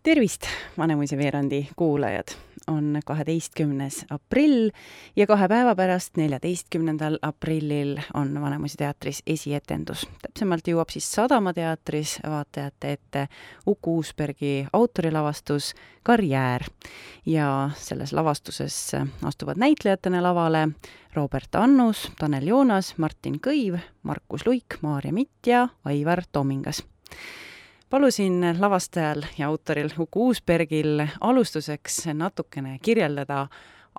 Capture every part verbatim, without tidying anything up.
Tervist, Vanemuise veerandi kuulajad! On kaheteistkümnes aprill ja kahe päeva pärast, neljateistkümnendal aprillil on Vanemuise teatris esietendus. Täpsemalt jõuab siis Sadama teatris vaatajate ette Uku Uusbergi autorilavastus Karjäär. Ja selles lavastuses astuvad näitlejatena lavale Robert Annus, Tanel Joonas, Martin Kõiv, Markus Luik, Maarja Mitt ja Aivar Tomingas. Palusin lavastajal ja autoril Uku Uusbergil alustuseks natukene kirjeldada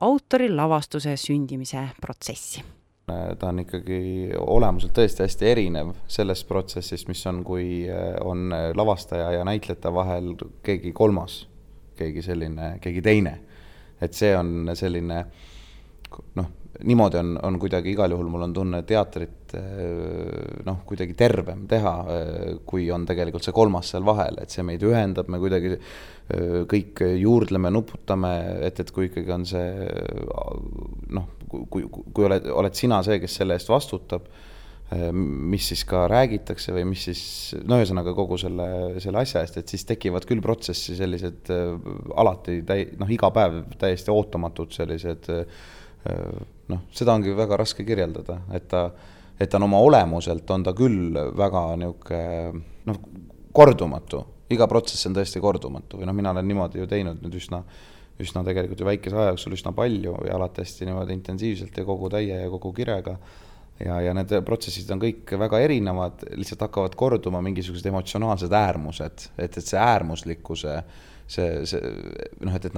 autori lavastuse sündimise protsessi. Ta on ikkagi olemuselt tõesti hästi erinev sellest protsessist, mis on, kui on lavastaja ja näitlejate vahel keegi kolmas, keegi selline, keegi teine. Et see on selline, noh, niimoodi on, on kuidagi igal juhul mul on tunne teatrit noh, kuidagi tervem teha, kui on tegelikult see kolmas seal vahel, et see meid ühendab, me kuidagi kõik juurdleme, nuputame, et, et kui ikkagi on see noh, kui, kui oled, oled sina see, kes selle eest vastutab, mis siis ka räägitakse või mis siis, no ühesõnaga kogu selle, selle asja eest, et siis tekivad küll protsessi sellised alati, täi, noh, iga päev täiesti ootamatud sellised noh, seda ongi väga raske kirjeldada, et ta, et ta on oma olemuselt, on ta küll väga niuke, noh, kordumatu. Iga protsess on tõesti kordumatu. Või noh, mina olen niimoodi ju teinud nüüd üsna, üsna tegelikult ju väikese aja jooksul üsna palju ja alati hästi niimoodi intensiivselt ja kogu täie ja kogu kirega. Ja, ja need protsessid on kõik väga erinevad, lihtsalt hakkavad korduma mingisugused emotsionaalsed äärmused, et, et see äärmuslikkuse see, see, noh, et, et,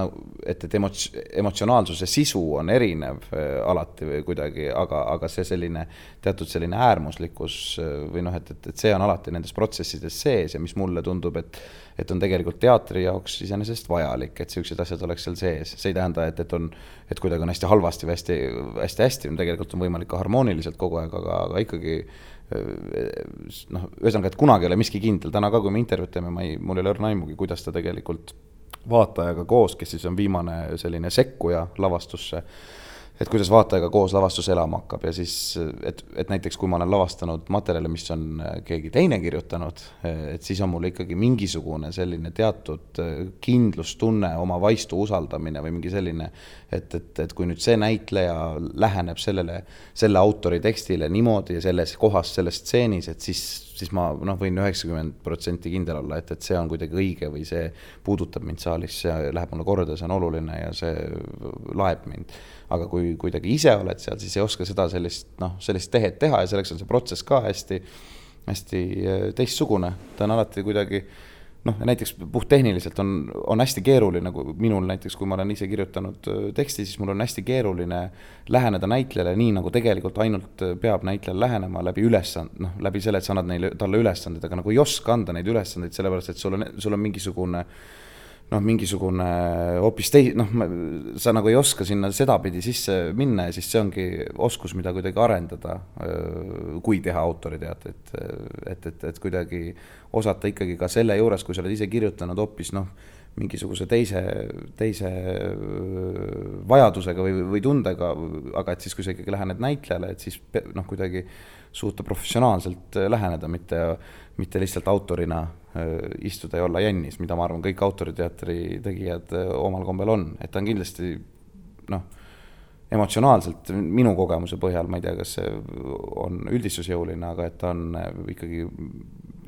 et, et emots, emotsionaalsuse sisu on erinev alati või kuidagi, aga, aga see selline teatud selline äärmuslikkus või noh, et, et, et see on alati nendes protsessides sees ja mis mulle tundub, et, et on tegelikult teatri jaoks iseenesest vajalik, et sellised asjad oleks seal sees. See ei tähenda, et, et, on, et kuidagi on hästi halvasti või hästi, hästi, hästi, tegelikult on võimalik ka harmooniliselt kogu aeg, aga, aga ikkagi noh, ühesõnaga, et kunagi ei ole miski kindel. Täna ka, kui me intervjuud teeme, ma ei, mul ei ole õrna aimugi, kuidas ta tegelikult vaatajaga koos, kes siis on viimane selline sekkuja lavastusse, et kuidas vaatajaga koos lavastus elama hakkab ja siis, et, et näiteks kui ma olen lavastanud materjale, mis on keegi teine kirjutanud, et siis on mul ikkagi mingisugune selline teatud kindlustunne, oma vaistu usaldamine või mingi selline, et, et, et kui nüüd see näitleja läheneb sellele, selle autori tekstile niimoodi ja selles kohas, selles stseenis, et siis, siis ma noh, võin üheksakümmend protsenti kindel olla, et, et see on kuidagi õige või see puudutab mind saalis, see läheb mulle korda, see on oluline ja see laeb mind. Aga kui kuidagi ise oled seal, siis ei oska seda sellist, noh, sellist tehet teha ja selleks on see protsess ka hästi, hästi teistsugune. Ta on alati kuidagi, noh, näiteks puhttehniliselt on, on hästi keeruline, nagu minul näiteks, kui ma olen ise kirjutanud teksti, siis mul on hästi keeruline läheneda näitlejale nii, nagu tegelikult ainult peab näitlejale lähenema läbi ülesand, noh, läbi selle, et sa annad neile, talle ülesanded, aga nagu ei oska anda neid ülesandeid, sellepärast, et sul on, sul on mingisugune noh, mingisugune hoopis tei-, noh, sa nagu ei oska sinna sedapidi sisse minna ja siis see ongi oskus, mida kuidagi arendada, kui teha autoriteatrit, et, et, et kuidagi osata ikkagi ka selle juures, kui sa oled ise kirjutanud hoopis, noh, mingisuguse teise, teise vajadusega või, või tundega, aga et siis, kui sa ikkagi lähened näitlejale, et siis noh, kuidagi suuta professionaalselt läheneda, mitte, mitte lihtsalt autorina istuda ja olla jännis, mida ma arvan, kõik autoriteatri tegijad omal kombel on. Et ta on kindlasti, noh, emotsionaalselt minu kogemuse põhjal, ma ei tea, kas see on üldistusjõuline, aga et ta on ikkagi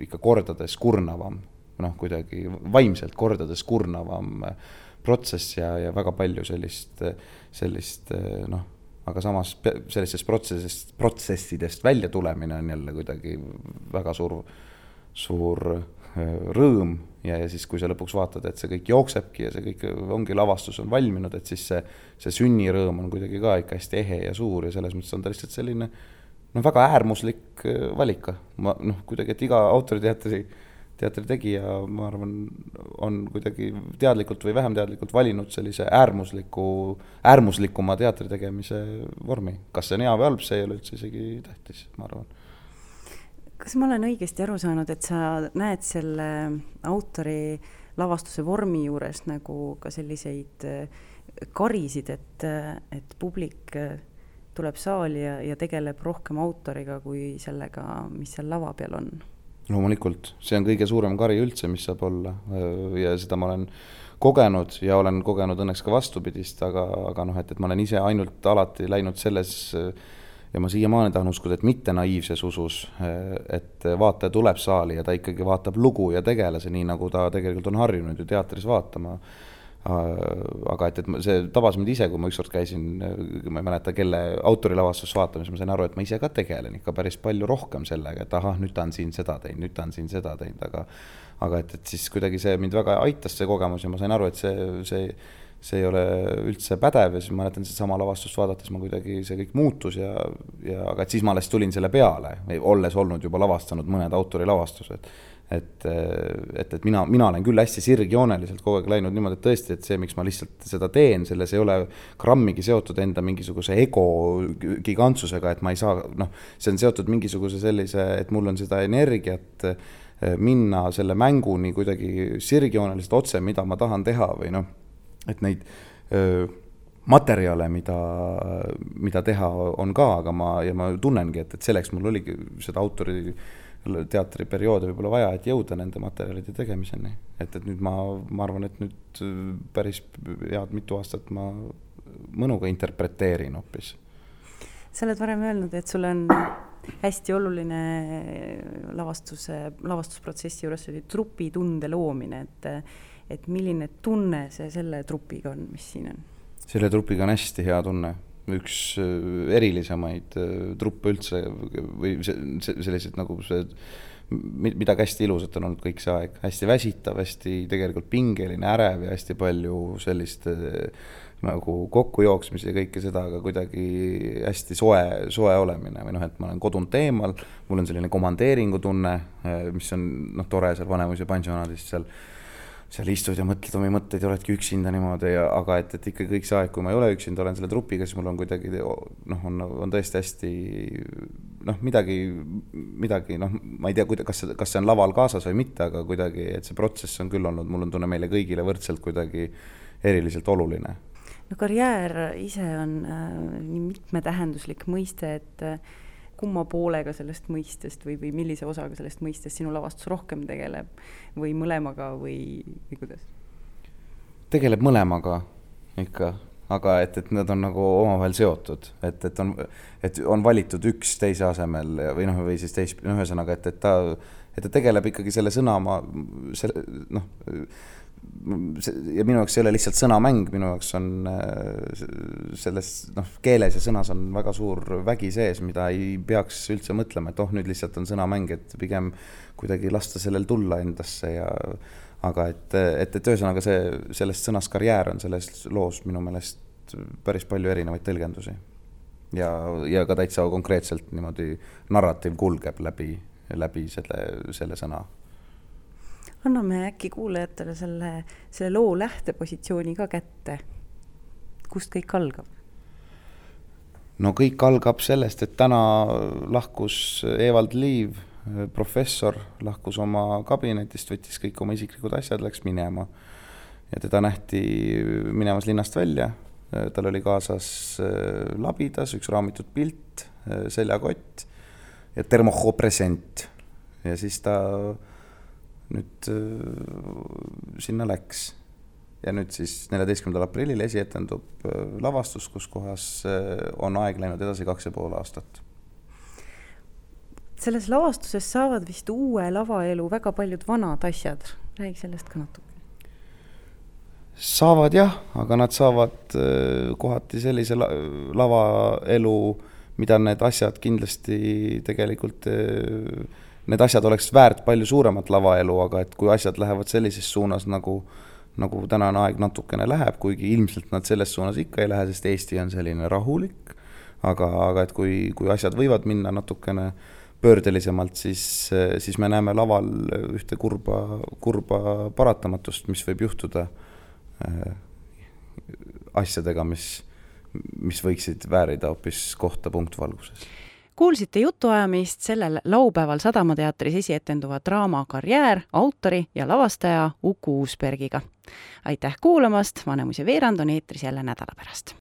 ikka kordades kurnavam, noh, kuidagi vaimselt kordades kurnavam protsess ja, ja väga palju sellist, sellist, noh, aga samas sellisest protsessist, protsessidest välja tulemine on jälle kuidagi väga suur, suur rõõm ja, ja siis, kui sa lõpuks vaatad, et see kõik jooksebki ja see kõik ongi lavastus on valminud, et siis see, see sünnirõõm on kuidagi ka ikka hästi ehe ja suur ja selles mõttes on ta lihtsalt selline, noh, väga äärmuslik valika. Ma, noh, kuidagi, et iga autoriteatri teatri tegija, ma arvan, on kuidagi teadlikult või vähem teadlikult valinud sellise äärmusliku, äärmuslikuma teatri tegemise vormi. Kas see on hea või halb, see ei ole üldse isegi tähtis, ma arvan. Kas ma olen õigesti aru saanud, et sa näed selle autori lavastuse vormi juures nagu ka selliseid karisid, et, et publik tuleb saali ja, ja tegeleb rohkem autoriga kui sellega, mis seal lava peal on? loomulikult, see on kõige suurem kari üldse, mis saab olla ja seda ma olen kogenud ja olen kogenud õnneks ka vastupidist, aga, aga noh, et, et ma olen ise ainult alati läinud selles ja ma siiamaani tahan uskuda, et mitte naiivses usus, et vaataja tuleb saali ja ta ikkagi vaatab lugu ja tegelase, nii nagu ta tegelikult on harjunud ju teatris vaatama. Aga et, et see tabas mind ise, kui ma ükskord käisin, ma ei mäleta, kelle autorilavastus vaatamas, ma sain aru, et ma ise ka tegelen ikka päris palju rohkem sellega, et ahah, nüüd ta on siin seda teinud, nüüd ta on siin seda teinud, aga aga et, et siis kuidagi see mind väga aitas see kogemus ja ma sain aru, et see, see, see ei ole üldse pädev ja siis ma mäletan, sama lavastust vaadates ma kuidagi see kõik muutus ja, ja aga et siis ma alles tulin selle peale, olles olnud juba lavastanud mõned autorilavastused. Et, et, et mina, mina olen küll hästi sirgjooneliselt kogu aeg läinud niimoodi, et tõesti, et see, miks ma lihtsalt seda teen, selles ei ole grammigi seotud enda mingisuguse ego gigantsusega, et ma ei saa, noh, see on seotud mingisuguse sellise, et mul on seda energiat minna selle mänguni kuidagi sirgjooneliselt otse, mida ma tahan teha või noh, et neid öö, materjale, mida, mida teha on ka, aga ma, ja ma tunnengi, et, et selleks mul oligi seda autori teatriperioodi võib-olla vaja, et jõuda nende materjalide tegemiseni. Et, et nüüd ma, ma arvan, et nüüd päris head mitu aastat ma mõnuga interpreteerin hoopis. Sa oled varem öelnud, et sul on hästi oluline lavastuse, lavastusprotsessi juures oli trupitunde loomine, et, et milline tunne see selle trupiga on, mis siin on? Selle trupiga on hästi hea tunne. Üks erilisemaid truppe üldse või sellised nagu see, mida hästi ilusat on olnud kõik see aeg. Hästi väsitav, hästi tegelikult pingeline, ärev ja hästi palju sellist nagu kokkujooksmisi ja kõike seda, aga kuidagi hästi soe, soe olemine või noh, et ma olen kodunud teemal, mul on selline komandeeringu tunne, mis on noh, tore seal Vanemuise pansionaadis seal seal istud ja mõtled omi mõtteid ja oledki üksinda niimoodi, ja, aga et, et ikka kõik see aeg, kui ma ei ole üksinda, olen selle trupiga, siis mul on kuidagi, noh, on, on tõesti hästi, noh, midagi, midagi, noh, ma ei tea, kas, kas see on laval kaasas või mitte, aga kuidagi, et see protsess on küll olnud, mul on tunne meile kõigile võrdselt kuidagi eriliselt oluline. No karjäär ise on äh, nii mitmetähenduslik mõiste, et äh, kumma poolega sellest mõistest või, või millise osaga sellest mõistest sinu lavastus rohkem tegeleb või mõlemaga või, või kuidas? Tegeleb mõlemaga ikka, aga et, et nad on nagu omavahel seotud, et, et, on, et on valitud üks teise asemel või noh, või siis teis, noh, ühesõnaga, et, et ta, et ta tegeleb ikkagi selle sõna, ma, selle, noh, ja minu jaoks ei ole lihtsalt sõnamäng, minu jaoks on selles noh, keeles ja sõnas on väga suur vägi sees, mida ei peaks üldse mõtlema, et oh, nüüd lihtsalt on sõnamäng, et pigem kuidagi lasta sellel tulla endasse ja aga et, et, et ühesõnaga see, sellest sõnast karjäär on selles loos minu meelest päris palju erinevaid tõlgendusi ja, ja ka täitsa konkreetselt niimoodi narratiiv kulgeb läbi, läbi selle, selle sõna. Anname äkki kuulajatele selle, selle loo lähtepositsiooni ka kätte. Kust kõik algab? No kõik algab sellest, et täna lahkus Evald Liiv, professor, lahkus oma kabinetist, võttis kõik oma isiklikud asjad, läks minema. Ja teda nähti minemas linnast välja. Tal oli kaasas labidas, üks raamitud pilt, seljakott ja termoho present. Ja siis ta nüüd sinna läks ja nüüd siis neljateistkümnendal aprillil esietendub lavastus, kus kohas on aeg läinud edasi kaks ja pool aastat. Selles lavastuses saavad vist uue lavaelu väga paljud vanad asjad. Räägi sellest ka natuke. Saavad jah, aga nad saavad kohati sellise lavaelu, mida need asjad kindlasti tegelikult need asjad oleks väärt palju suuremat lavaelu, aga et kui asjad lähevad sellises suunas, nagu, nagu tänane aeg natukene läheb, kuigi ilmselt nad selles suunas ikka ei lähe, sest Eesti on selline rahulik, aga, aga et kui, kui asjad võivad minna natukene pöördelisemalt, siis, siis me näeme laval ühte kurba, kurba paratamatust, mis võib juhtuda äh, asjadega, mis, mis võiksid väärida hoopis kohta punktvalguses. Kuulsite jutuajamist sellel laupäeval Sadamateatris esietenduva draama Karjäär autori ja lavastaja Uku Uusbergiga. Aitäh kuulamast, Vanemuise veerand on eetris jälle nädala pärast.